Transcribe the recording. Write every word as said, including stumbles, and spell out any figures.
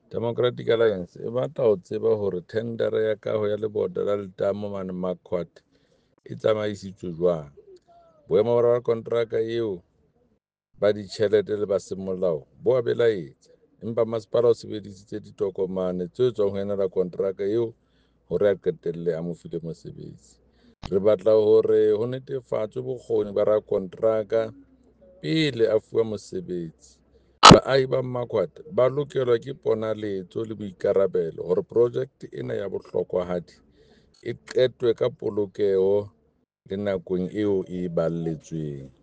Democratic Alliance e batla ho tseba hore thendara ya kaho ya lebota la letamo mane Marquard e tsamaisitswe jwang. Boemo ba rakonteraka eo ba ditjhelete le ba semolao bo a belaetsa, empa masepala o sebedisitse ditokomane tse tswang ho yena rakonteraka eo hore a qetelle a mo file mosebetsi. Re batla hore ho netefatswe bokgoni ba rakonteraka pele a fuwa mosebetsi. Baahi ba Marquard ba lokelwa ke ponaletso le boikarabelo hore projeke ena ya bohlokwahadi e qetwe ka polokeho le nakong eo e e balletsweng.